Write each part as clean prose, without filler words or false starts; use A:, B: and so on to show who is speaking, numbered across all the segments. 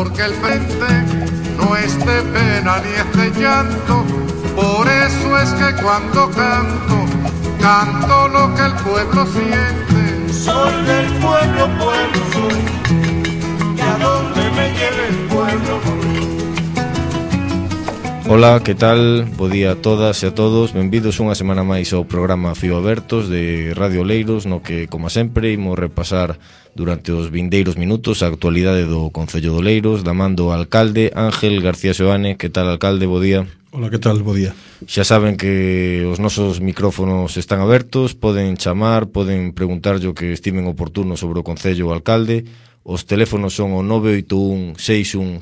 A: porque el frente no es de pena ni es de llanto. Por eso es que cuando canto, canto lo que el pueblo siente.
B: Soy del pueblo, pueblo soy, y a donde me lleve el pueblo voy.
C: Ola, que tal? Bo día a todas e a todos. Benvidos unha semana máis ao programa Fío Abertos de Radio Oleiros, no que, como sempre, imos repasar durante os vindeiros minutos a actualidade do Concello de Oleiros, da man do alcalde Ángel García Seoane. Que tal, alcalde? Bo día.
D: Ola, que tal? Bo día.
C: Xa saben que os nosos micrófonos están abertos, poden chamar, poden preguntarlle o que estimen oportuno sobre o Concello o alcalde. Os teléfonos son o 981 610000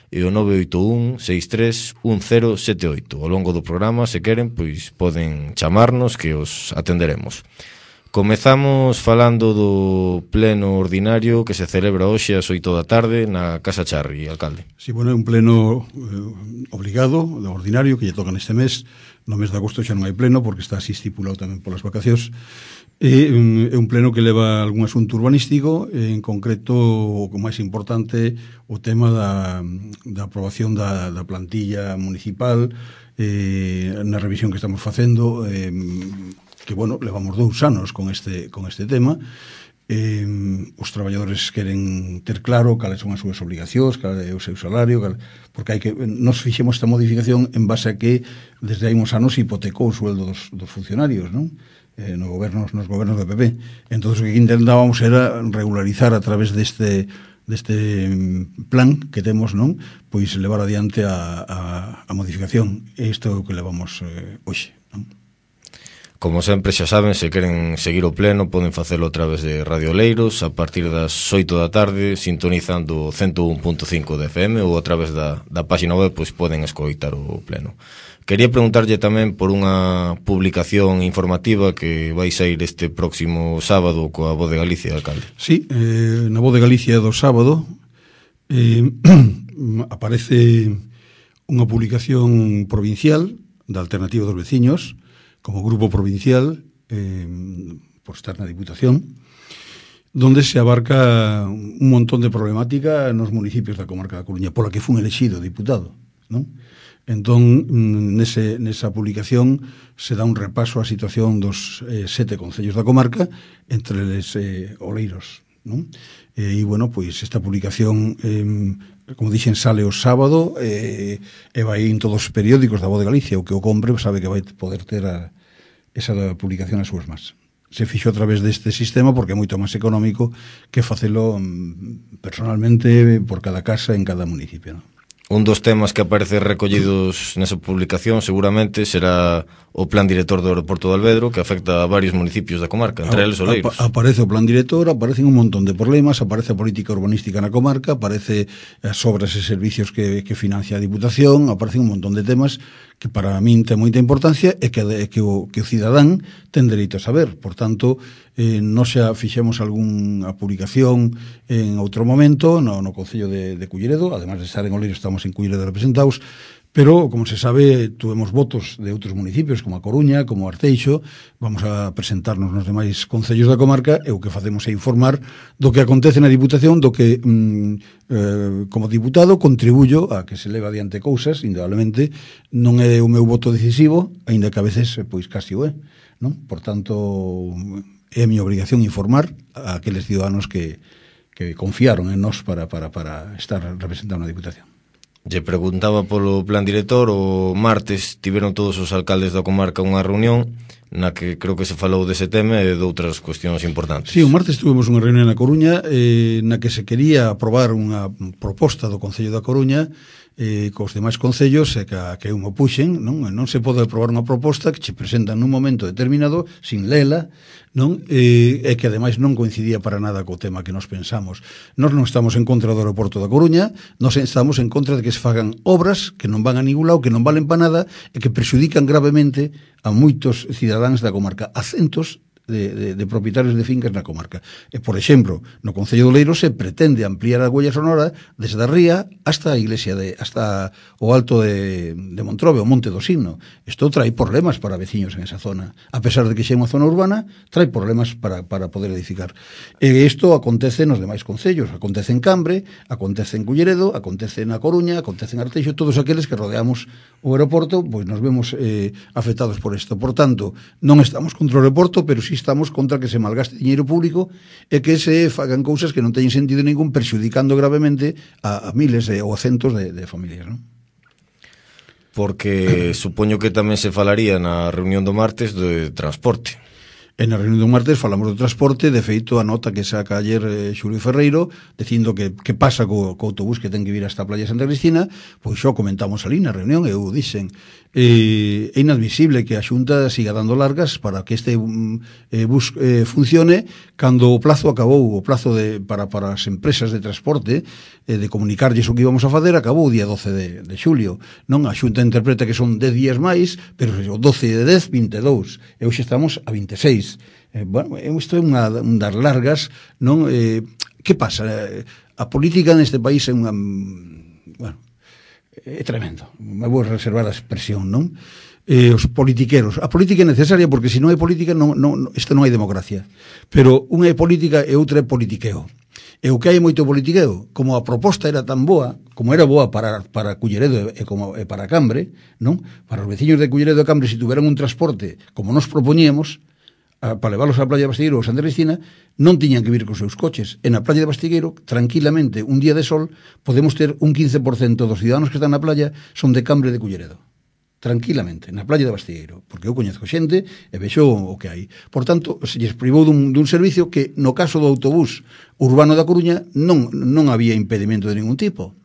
C: e o 981 631078. Ao longo do programa, se queren, pois poden chamarnos que os atenderemos. Comezamos falando do pleno ordinario que se celebra hoxe ás 8 da tarde na Casa Charri, alcalde.
D: Sí, bueno, é un pleno obligado, ordinario, que lle toca neste mes. No mes de agosto xa non hai pleno, porque está así estipulado tamén polas vacacións. É un pleno que leva algún asunto urbanístico, en concreto o máis importante o tema da aprobación da plantilla municipal, na revisión que estamos facendo, que, bueno, levamos 2 anos con este tema. Os traballadores queren ter claro cales son as súas obligacións, cal é o seu salario, porque nos fixemos esta modificación en base a que desde hai uns anos hipotecou o sueldo dos funcionarios, non? Nos gobernos do PP. Entón, o que intentábamos era regularizar a través deste plan que temos, non? Pois levar adiante a modificación. Isto é o que levamos hoxe, non?
C: Como sempre, xa saben, se queren seguir o pleno, poden facelo a través de Radio Oleiros a partir das 8 da tarde, sintonizando 101.5 de FM, ou a través da página web, pois poden escoitar o pleno. Quería preguntarlle tamén por unha publicación informativa que vai sair este próximo sábado coa Voz de Galicia, alcalde.
D: Sí, na Voz de Galicia do sábado aparece unha publicación provincial da Alternativa dos Veciños como grupo provincial por estar na Diputación, donde se abarca un montón de problemática nos municipios da comarca da Coruña, pola que fun elexido diputado, non? Entón, nesa publicación se dá un repaso á situación dos 7 concellos da comarca, entre eles Oleiros, non? E, bueno, pois esta publicación, como dixen, sale o sábado e vai en todos os periódicos da Voz de Galicia. O que o compre sabe que vai poder ter esa publicación nas súas mans. Se fixo a través deste sistema porque é moito máis económico que facelo personalmente por cada casa en cada municipio, non?
C: Un dos temas que aparece recollidos nesa publicación seguramente será o plan director do aeroporto de Alvedro, que afecta a varios municipios da comarca, entre eles Oleiros.
D: Aparece o plan director, aparecen un montón de problemas, aparece a política urbanística na comarca, aparece as obras e servicios que financia a Diputación, aparecen un montón de temas que para min ten moita importancia e que o cidadán ten dereito a saber. Por tanto, nos xa fixemos algunha publicación en outro momento no Concello de Culleredo, además de estar en Oleiros estamos en Culleredo representados, pero, como se sabe, tuvemos votos de outros municipios, como a Coruña, como Arteixo. Vamos a presentarnos nos demais concellos da comarca e o que facemos é informar do que acontece na Diputación, do que, como diputado, contribuyo a que se leve adiante cousas, indudablemente. Non é o meu voto decisivo, aínda que a veces, pois, casi o é, non? Por tanto, é a miña obrigación informar a aqueles ciudadanos que confiaron en nós para estar representando na Diputación.
C: Lle preguntaba polo plan director. O martes tiveron todos os alcaldes da comarca unha reunión na que creo que se falou dese tema e de outras cuestións importantes.
D: Sí, o martes tuvemos unha reunión na Coruña na que se quería aprobar unha proposta do Concello da Coruña cos demais concellos e que eu me puxen, non se pode aprobar unha proposta que se presenta nun momento determinado sin lela, non? E que ademais non coincidía para nada co tema que nos pensamos. Nós non estamos en contra do aeroporto da Coruña, nós estamos en contra de que se fagan obras que non van a ningún lado, que non valen para nada e que prexudican gravemente a moitos cidadáns da comarca, a centos de propietarios de fincas na comarca. E, por exemplo, no Concello de Oleiros se pretende ampliar a huella sonora desde a ría hasta a iglesia hasta o alto de Montrobe, o Monte do Signo. Isto trae problemas para veciños en esa zona. A pesar de que xa é unha zona urbana, trae problemas para poder edificar. E isto acontece nos demais concellos. Acontece en Cambre, acontece en Culleredo, acontece na Coruña, acontece en Arteixo, todos aqueles que rodeamos o aeroporto, pois nos vemos afectados por isto. Por tanto, non estamos contra o aeroporto, pero sí estamos contra que se malgaste diñeiro público e que se fagan cousas que non teñen sentido ningún, perxudicando gravemente a miles ou a centos de familias, non?
C: Porque supoño que tamén se falaría na reunión do martes de transporte.
D: En a reunión do martes falamos do transporte, de feito a nota que saca ayer Xulio Ferreiro dicindo que pasa co autobús que ten que vir hasta a playa Santa Cristina, pois xo comentamos ali na reunión e eu dixen é inadmisible que a Xunta siga dando largas para que este bus funcione cando o plazo acabou, o plazo para as empresas de transporte de comunicarlles o que íbamos a fazer acabou o día 12 de xulio. Non, a Xunta interpreta que son 10 días máis, pero o 12 de 10, 22, e hoxe estamos a 26. Bueno, isto é un dar largas, non? Que pasa? A política neste país é unha... Bueno, é tremendo. Me vou reservar a expresión, non? Os politiqueros. A política é necesaria porque se non hai política isto non hai democracia. Pero unha é política e outra é politiqueo. E o que hai moito politiqueo, como a proposta era tan boa, como era boa para Culleredo e para Cambre, non? Para os veciños de Culleredo e Cambre, se tuveran un transporte como nos propoñíamos, para leválos á playa de Bastigueiro ou Santa Cristina, non tiñan que vir cos seus coches. E na playa de Bastigueiro, tranquilamente, un día de sol, podemos ter un 15% dos ciudadanos que están na playa son de Cambre de Culleredo. Tranquilamente, na playa de Bastigueiro, porque eu coñezo xente e vexo o que hai. Por tanto, se lles privou dun servicio que, no caso do autobús urbano da Coruña, non había impedimento de ningún tipo,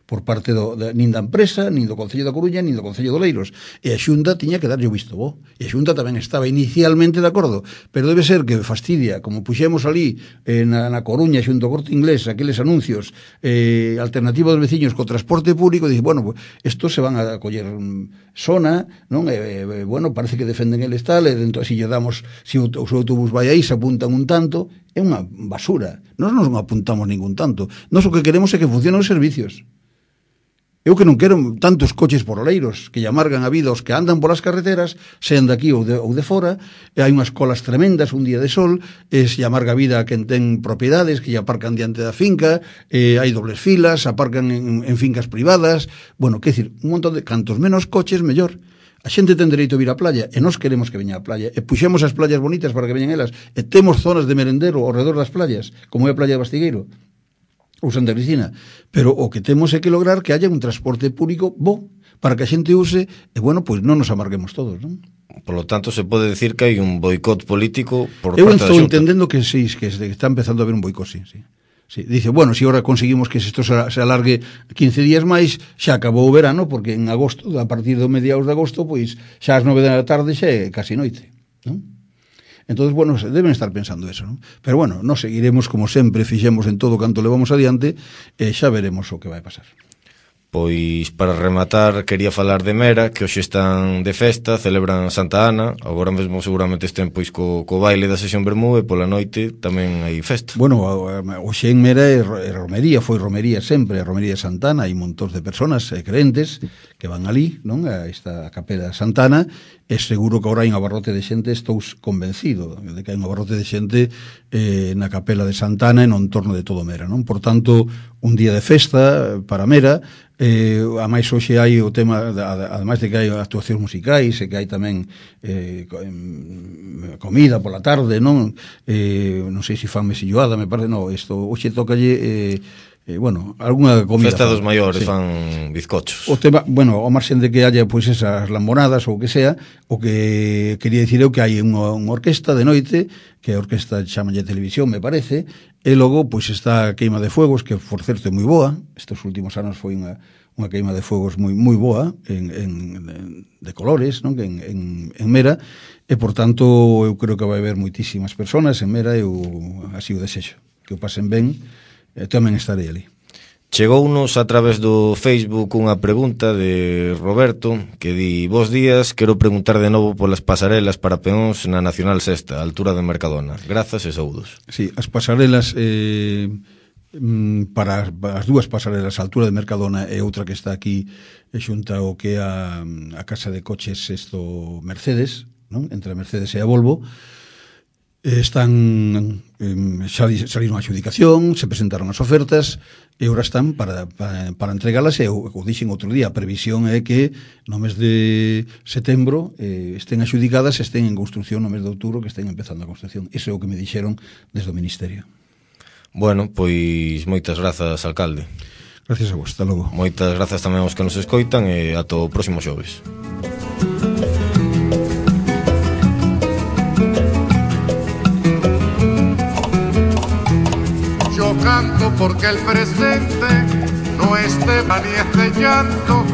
D: por parte nin da empresa, nin do Concello da Coruña, nin do Concello de Oleiros. E a Xunta tiña que darlle o visto bo. E a Xunta tamén estaba inicialmente de acordo, pero debe ser que fastidia, como puxemos ali na Coruña xunto ao Corte Inglés, aqueles anuncios alternativa dos veciños co transporte público, dice, bueno, pues, estos se van a coller sona, non? Bueno, parece que defenden eles tal, e dentro, se lle damos, se o autobús vai aí, se apuntan un tanto, é unha basura. Nós non apuntamos ningún tanto. Nós o que queremos é que funcionen os servicios. Eu que non quero tantos coches por Oleiros que lle amargan a vida aos que andan polas carreteras, sean de aquí ou de fora, e hai unhas colas tremendas un día de sol, se lle amarga a vida a quen ten propiedades que lle aparcan diante da finca, hai dobles filas, aparcan en fincas privadas, bueno, que decir, un montón de cantos menos coches, mellor. A xente ten dereito a vir á playa e nós queremos que veña á playa e puxemos as playas bonitas para que veñan elas e temos zonas de merendero ao redor das playas, como é a playa de Bastigueiro ou Santa Cristina, pero o que temos é que lograr que haya un transporte público bo para que a xente use e, bueno, pois non nos amarguemos todos, non?
C: Por lo tanto, se pode decir que hai un boicot político por
D: parte da Xunta. Eu estou entendendo que sí, que está empezando a haber un boicot, sí. Sí, dice, bueno, se ahora conseguimos que isto se alargue 15 días máis, xa acabou o verano, porque en agosto, a partir do mediados de agosto, pois xa ás 9 da tarde xa é casi noite, non? Entonces, bueno, deben estar pensando eso, non? Pero bueno, nos seguiremos como sempre, fixemos en todo canto levamos adiante e xa veremos o que vai pasar.
C: Pois, para rematar, quería falar de Mera, que hoxe están de festa, celebran Santa Ana, agora mesmo seguramente estén pois co baile da sesión Bermú e pola noite tamén hai festa.
D: Bueno, hoxe en Mera é romería, foi romería sempre, romería de Santa Ana, hai montóns de personas creentes que van ali, non? A esta capela de Santa Ana, e seguro que agora hai un abarrote de xente, estou convencido de que hai un abarrote de xente na capela de Santa Ana e no entorno de todo Mera, non? Por tanto, un día de festa para Mera, a máis hoxe hai o tema, ademais de que hai actuacións musicais e que hai tamén comida pola tarde, non? Non sei se fan mesilloada, me parece, non, isto hoxe tocalle bueno, algunha comida.
C: Festa dos maiores,
D: sí.
C: Fan bizcochos.
D: O tema, bueno, ao marxen de que haya pois esas lambonadas ou o que sea, o que quería dicir eu que hai unha orquesta de noite, que a orquesta chamalle Televisión, me parece, e logo pois está a queima de fuegos, que por certo é moi boa, estes últimos anos foi unha queima de fuegos moi boa, de colores, non? En Mera, e por tanto eu creo que vai haber moitísimas personas en Mera, eu así o desexo, que o pasen ben. Tamén estarei ali.
C: Chegounos a través do Facebook unha pregunta de Roberto que di: bos días, quero preguntar de novo polas pasarelas para peóns na Nacional Sexta, a altura de Mercadona. Grazas e saúdos.
D: Sí, as pasarelas para as dúas pasarelas, a altura de Mercadona e outra que está aquí xunta o que é a casa de coches Mercedes, non? Entre a Mercedes e a Volvo, están saliron a adjudicación, se presentaron as ofertas e agora están para entregalas, e o dixen outro día, a previsión é que no mes de setembro estén adjudicadas, estén en construcción no mes de outubro, que estén empezando a construcción. Iso é o que me dixeron desde o Ministerio.
C: Bueno, pois moitas grazas, alcalde.
D: Gracias a vos, hasta logo.
C: Moitas grazas tamén aos que nos escoitan e ata o próximo xoves.
A: Yo canto porque el presente no es de pan y es de llanto,